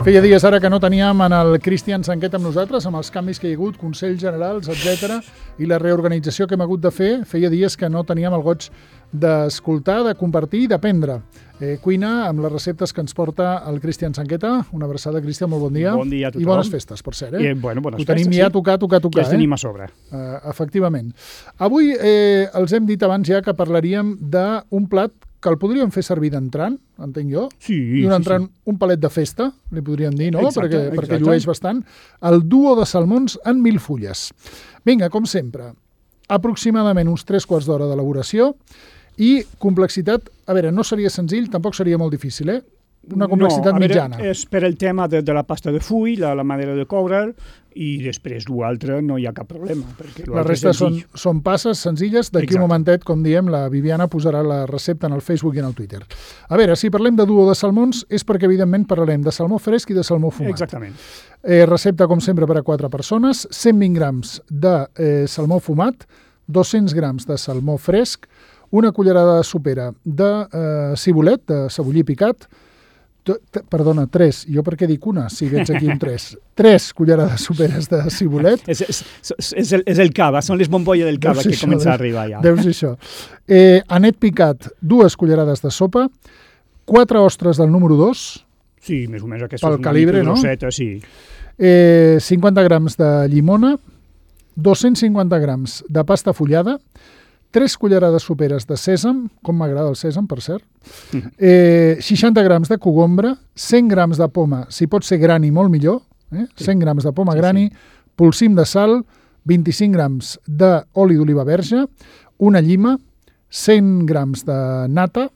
Feia dies ara que no teníem en el Cristian Sanquet amb nosaltres, amb els canvis que hi ha hagut, consells generals, etc i la reorganització que hem hagut de fer. Feia dies que no teníem el goig d'escoltar, de compartir i d'aprendre. Cuina amb les receptes que ens porta el Cristian Sanqueta. Una abraçada, Cristian, molt bon dia. Bon dia a tothom. I bones festes, per cert. Bones festes, ho tenim ja a tocar. Ja els tenim a sobre. Efectivament. Avui els hem dit abans ja que parlaríem d'un plat que el podríem fer servir d'entrant, entenc jo, i un entrant, un palet de festa, li podríem dir, no? Exacte, perquè llueix bastant. El duo de salmons en 1000 fulles. Vinga, com sempre, aproximadament uns 3/4 d'hora d'elaboració i complexitat, a veure, no seria senzill, tampoc seria molt difícil, una complexitat mitjana. És per el tema de la pasta de full, la manera de coure'l, i després l'altre no hi ha cap problema. La resta són passes senzilles. D'aquí un momentet, com diem, la Viviana posarà la recepta en el Facebook i en el Twitter. A veure, si parlem de duo de salmons és perquè, evidentment, parlarem de salmó fresc i de salmó fumat. Exactament. Recepta, com sempre, per a 4 persones, 120 grams de salmó fumat, 200 grams de salmó fresc, una cullerada de sopera de cibulet, de cebollí picat, perdona, 3. Jo per què dic una, si veig aquí un 3? 3 cullerades soperes de cibulet. És el cava, són les bombolles del cava que comença a arribar ja. Deus dir això. Anet picat, 2 cullerades de sopa, 4 ostres del número 2. Sí, més o menys aquesta pel calibre, no? Grosseta, sí. 50 grams de llimona, 250 grams de pasta fullada, 3 cullerades soperes de sèsam, com m'agrada el sèsam, per cert, 60 grams de cogombre, 100 grams de poma, si pot ser grani, molt millor, 100 grams de poma grani, polsim de sal, 25 grams d'oli d'oliva verge, una llima, 100 grams de nata,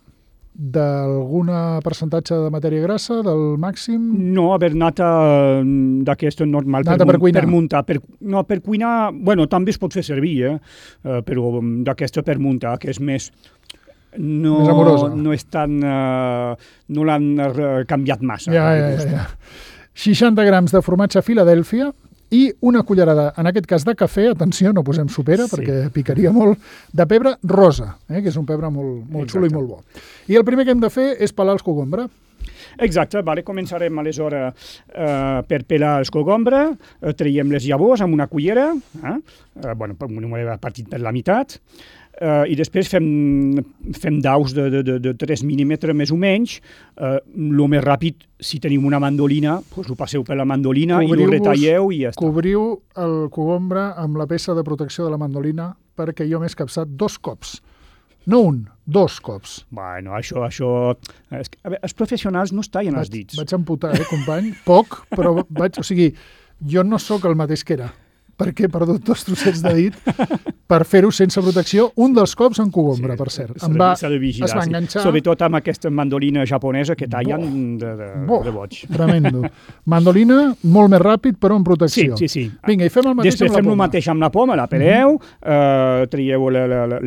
d'algun percentatge de matèria grassa, del màxim? No, a veure, nata d'aquesta normal nata per cuinar. Per muntar. Per cuinar, bueno, també es pot fer servir, però d'aquesta per muntar, que és més amorosa. No és tan... no l'han canviat massa. Ja. 60 grams de formatge Filadèlfia i una cullerada, en aquest cas de cafè, atenció, no posem sopera perquè picaria molt, de pebre rosa, que és un pebre molt xulo i molt bo. I el primer que hem de fer és pelar els cogombre. Exacte, començarem aleshores per pelar els cogombre, traiem les llavors amb una cullera, una partit per la meitat, i després fem daus de 3 mil·límetres més o menys. El més ràpid, si teniu una mandolina, ho passeu per la mandolina i ho retalleu i ja està. Cobriu el cogombre amb la peça de protecció de la mandolina perquè jo m'he escapçat 2 cops. No 1, 2 cops. Bueno, això... Els professionals no es tallen els dits. Vaig amputar, company? Poc, però jo no sóc el mateix que era, perquè he perdut 2 trossets de dit per fer-ho sense protecció, un dels cops en cogombre, per cert. S'ha de vigilar, es va enganxar... Sobretot amb aquesta mandolina japonesa que tallen de boig. Tremendo. Mandolina, molt més ràpid, però amb protecció. Sí. Vinga, i fem el mateix amb la poma. Després fem el mateix amb la poma, la peleu, traieu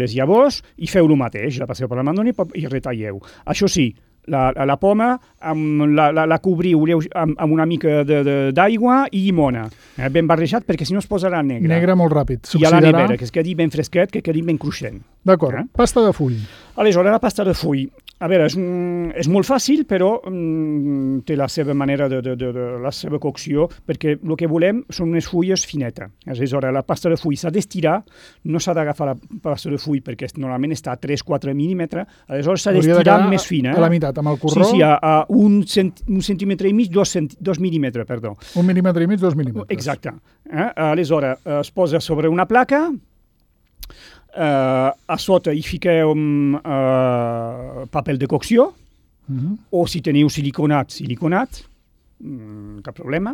les llavors i feu el mateix, la passeu per la mandolina i retalleu. Això sí, la poma la cobriu amb una mica d'aigua i llimona, ben barrejat, perquè si no es posarà negra. Negra molt ràpid. I a la nevera, que es quedi ben fresquet, que quedi ben cruixent. D'acord. Pasta de full. Aleshores, la pasta de full. A veure, és molt fàcil, però té la seva manera la seva cocció, perquè el que volem són unes fulles finetes. Aleshores, la pasta de full s'ha d'estirar, no s'ha d'agafar la pasta de full perquè normalment està a 3-4 mil·límetres, aleshores s'ha d'estirar més fina. A la meitat, amb el corró? Sí, a 1 centímetre i mig, 2 mil·límetres, perdó. 1 mil·límetre i mig, 2 mil·límetres. Exacte. Aleshores, es posa sobre una placa, a sota hi fiqueu paper de cocció, o si teniu siliconat, cap problema.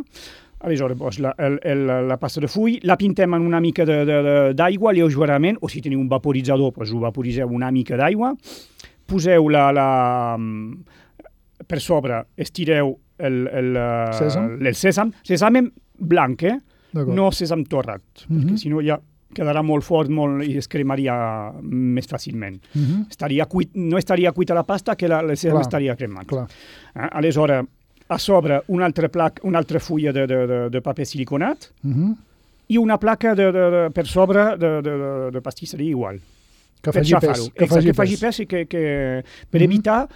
Aleshores, la pasta de full la pintem en una mica d'aigua lleugerament, o si teniu un vaporitzador, ho vaporiseu una mica d'aigua, poseu per sobre, estireu el sèsam blanc, no sèsam torrat, perquè si no ja quedarà molt fort i es cremaria més fàcilment. No estaria cuita la pasta, que el sèsam estaria cremat. Aleshores, a sobre una altra fulla de paper siliconat i una placa per sobre de pastisseria igual. Que faci pes. Que faci pes i per evitar...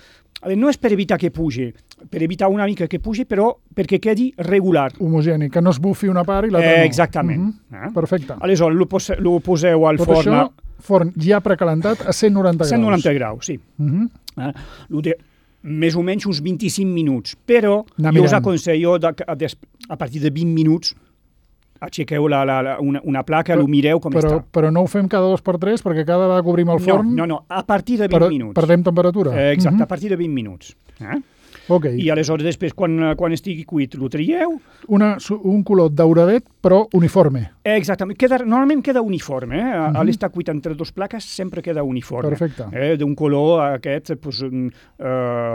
No és per evitar que pugi. per evitar una mica que pugi, però perquè quedi regular. Homogeni, que no es bufi una part i l'altra no. Exactament. Perfecte. Aleshores, lo poseu al forn. Tot això, forn ja precalentat a 190 graus. 190 graus, sí. Més o menys uns 25 minuts, però jo us aconsello a partir de 20 minuts aixequeu una placa, lo mireu com està. Però no ho fem cada 2 per 3 perquè cada vegada que obrim el forn... No, a partir de 20 minuts. Perdem temperatura? Exacte, a partir de 20 minuts. Okay. I aleshores després, quan estigui cuit, lo trieu. Un color dauradet, però uniforme. Exactament. Normalment queda uniforme. A l'estar cuit entre 2 plaques sempre queda uniforme. Perfecte. D'un color aquest,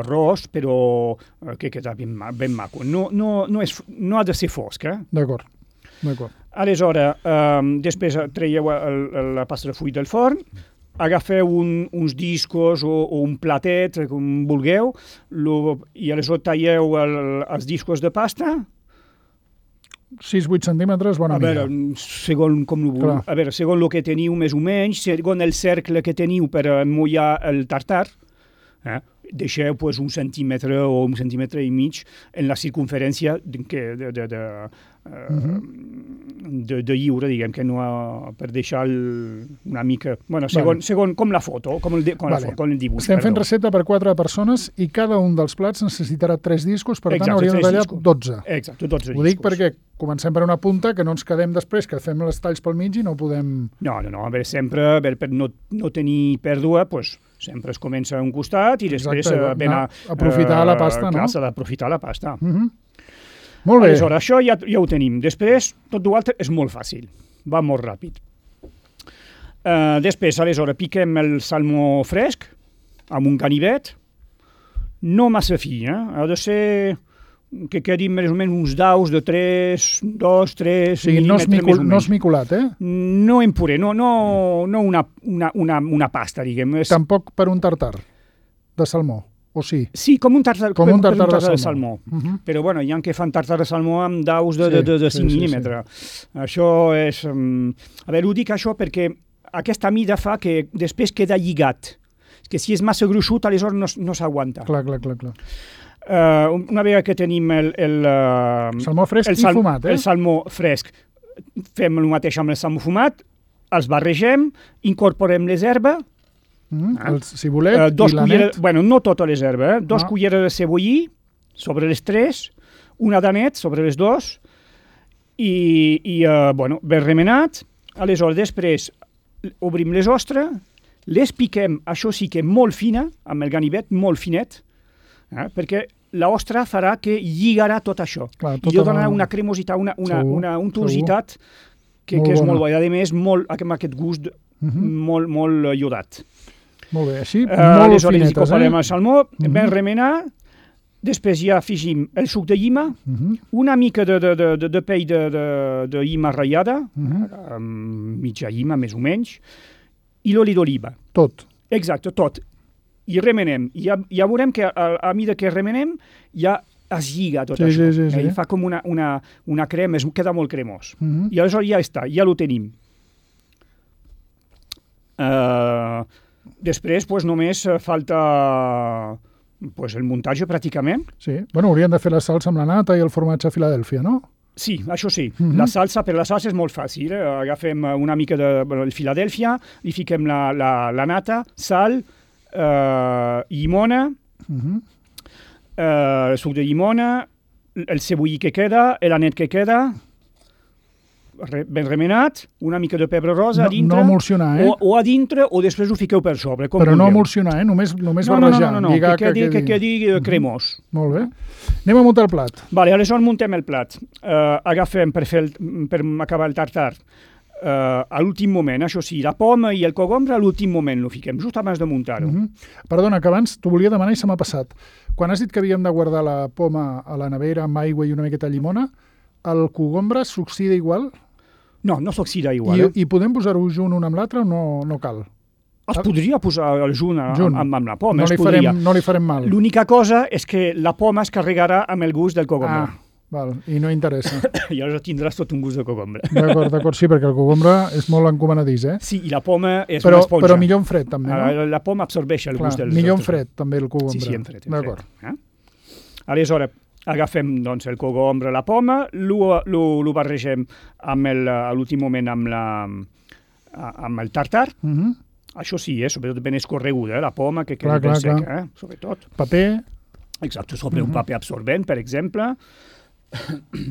ros, però que queda ben maco. No ha de ser fosc. D'acord. Aleshores, després traieu la pasta de full del forn, agafeu uns discos o un platet, com vulgueu, i aleshores talleu els discos de pasta. 6-8 centímetres, bona mida. Segons el que teniu més o menys, segons el cercle que teniu per emmollar el tartar, deixeu un centímetre o un centímetre i mig en la circunferència de lliure, diguem, que no per deixar una mica... Segons com la foto, com el dibuix. Estem fent recepta per 4 persones i cada un dels plats necessitarà 3 discos, per tant hauríem de tallar 12. Exacte, 12 discos. Ho dic perquè comencem per una punta, que no ens quedem després, que fem els talls pel mig i no podem... No, a veure, sempre, per no tenir pèrdua, sempre es comença a un costat i després aprofitar la pasta, no? Clar, s'ha d'aprofitar la pasta. Molt bé. Aleshores, això ja ho tenim. Després, tot l'altre és molt fàcil. Va molt ràpid. Després, aleshores, piquem el salmó fresc amb un ganivet. No massa fi, Ha de ser que quedin més o menys uns daus de 2, 3 mil·límetres. No esmicolat, No en puré, no una pasta, diguem. Tampoc per un tartar de salmó, o sí? Sí, com un tartar de salmó. Però hi ha que fan tartar de salmó amb daus de 5 mil·límetres. Això és... A veure, ho dic això perquè aquesta mida fa que després queda lligat. Que si és massa gruixut, aleshores no s'aguanta. Clar. Una vegada que tenim el salmó fresc i fumat, el salmó fresc, fem el mateix amb el salmó fumat, els barregem, incorporem les herbes, el cibulet i l'anet. No totes les herbes, 2 culleres de cebollí sobre les 3, una d'anet sobre les 2, i ben remenat. Aleshores, després obrim les ostres, les piquem, això sí que molt fina, amb el ganivet molt finet, perquè l'ostra farà que lligarà tot això. I donarà una cremositat, una untositat que és molt bona. I a més, amb aquest gust molt iodat. Molt bé, així, molt finetes. Aleshores, incorporem el salmó, ben remenar, després ja afegim el suc de llima, una mica de pell de llima ratllada, mitja llima més o menys, i l'oli d'oliva. Tot. Exacte, tot. I remenem. Ja veurem que a mesura que remenem ja es lliga tot això. I fa com una crema, queda molt cremós. I aleshores ja està, ja ho tenim. Després només falta el muntatge pràcticament. Sí, hauríem de fer la salsa amb la nata i el formatge a Filadèlfia, no? Sí, això sí. La salsa és molt fàcil. Agafem una mica de Filadèlfia, li fiquem la nata, sal, llimona, el suc de llimona, el cebollí que queda, l'anet que queda, ben remenat, una mica de pebre rosa a dintre. No emulsionar, o a dintre, o després ho fiqueu per sobre. Però no emulsionar, només barrejar. No, que quedi cremós. Molt bé. Anem a muntar el plat. Aleshores muntem el plat. Agafem per acabar el tartar a l'últim moment, això sí, la poma i el cogombre a l'últim moment lo fiquem, just abans de muntar-ho. Perdona, que abans t'ho volia demanar i se m'ha passat. Quan has dit que havíem de guardar la poma a la nevera amb aigua i una miqueta de llimona, el cogombre s'oxida igual? No s'oxida igual. I podem posar-ho junt un amb l'altre o no cal? Es podria posar el junt amb la poma. No li farem mal. L'única cosa és que la poma es carregarà amb el gust del cogombre. I no interessa. I aleshores tindràs tot un gust de cogombre. D'acord, sí, perquè el cogombre és molt encomanadís, Sí, i la poma és una esponja. Però millor en fred, també, no? La poma absorbeix el gust del... Millor en fred, també, el cogombre. Sí, en fred. D'acord. Aleshores, agafem doncs, el cogombre, la poma, lo barregem a l'últim moment amb el tartar. Això sí, sobretot ben escorreguda, la poma, que quedi ben seca, sobretot. Paper. Exacte, sobre un paper absorbent, per exemple,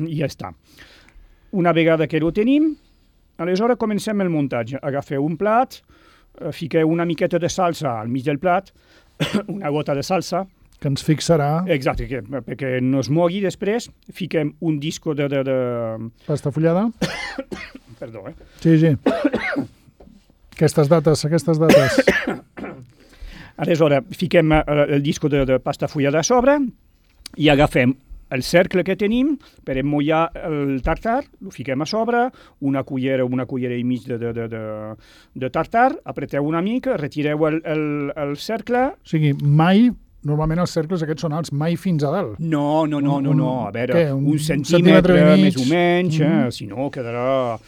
i ja està. Una vegada que ho tenim, aleshores comencem el muntatge. Agafeu un plat, fiqueu una miqueta de salsa al mig del plat, una gota de salsa, que ens fixarà. Exacte, perquè no es mogui després, fiquem un disco de... Pasta fullada. Perdó, Sí. Aquestes dates. Aleshores, fiquem el disco de pasta fullada a sobre i agafem el cercle que tenim per emmollar el tartar, ho fiquem a sobre, una cullera i mig de tartar, apreteu una mica, retireu el cercle... O sigui, normalment els cercles aquests són alts, mai fins a dalt. No. A veure, un centímetre més o menys, si no quedarà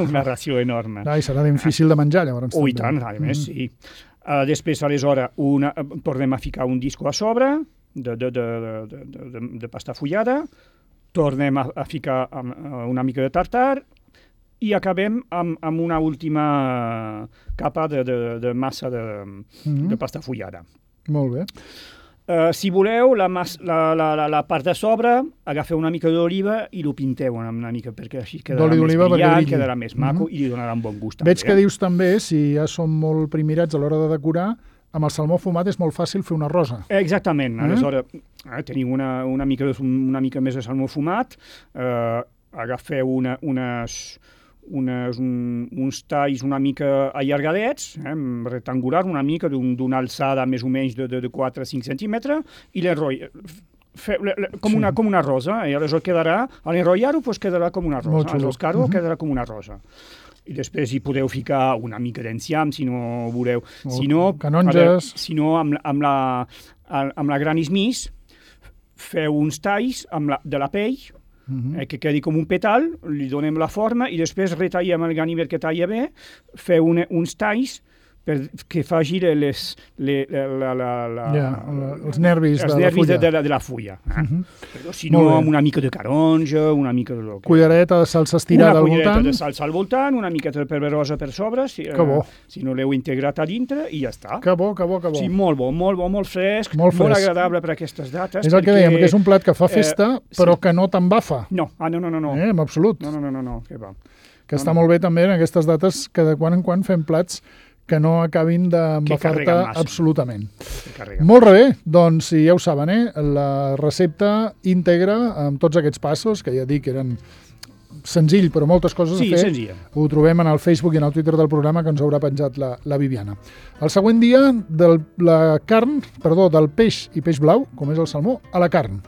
una ració enorme. I serà difícil de menjar, llavors. I tant, a més, sí. Després, aleshores, tornem a ficar un disco a sobre de pasta fullada, tornem a ficar una mica de tartar i acabem amb una última capa de massa de pasta fullada. Molt bé. Si voleu, la part de sobre, agafeu una mica d'oliva i ho pinteu una mica, perquè així quedarà més brillant, quedarà més maco i li donarà un bon gust. Veig que dius també, si ja som molt primirats a l'hora de decorar, amb el salmó fumat és molt fàcil fer una rosa. Exactament. Aleshores, teniu una mica més de salmó fumat, agafeu uns talls una mica allargadets, rectangulars, una mica d'una alçada més o menys de 4 a 5 centímetres, i l'enrotlleu com una rosa, i aleshores quedarà, a l'enrotllar-ho quedarà com una rosa, a l'enroscar-ho quedarà com una rosa. I després hi podeu ficar una mica d'enciam, si no voleu. Canonges. Si no, amb la granismís, feu uns talls de la pell, que quedi com un petal, li donem la forma i després retallem el ganivet que talla bé, feu uns talls que faci els nervis de la fulla. Però si no, amb una mica de taronja, una mica de... Cullereta de salsa estirada al voltant. Una cullereta de salsa al voltant, una miqueta de peberosa per sobre, si no l'heu integrat a dintre, i ja està. Que bo. Sí, molt bo, molt fresc, molt agradable per aquestes dates. És el que dèiem, que és un plat que fa festa, però que no t'embafa. No. En absolut. No, què va. Que està molt bé també en aquestes dates que de quan en quan fem plats que no acabin d'embafar-te absolutament. Molt bé, doncs ja ho saben, la recepta íntegra amb tots aquests passos, que ja dic que eren senzill, però moltes coses a fer. Senzilla. Ho trobem en el Facebook i en el Twitter del programa que ens haurà penjat la Viviana. El següent dia, del peix i peix blau, com és el salmó, a la carn.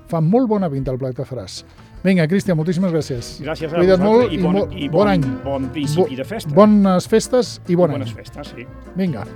Fa molt bona pinta el plat que faràs. Vinga, Cristian, moltíssimes gràcies. Gràcies a vosaltres i bon any. Bon principi de festa. Bones festes i bon any. Bones festes, sí. Vinga.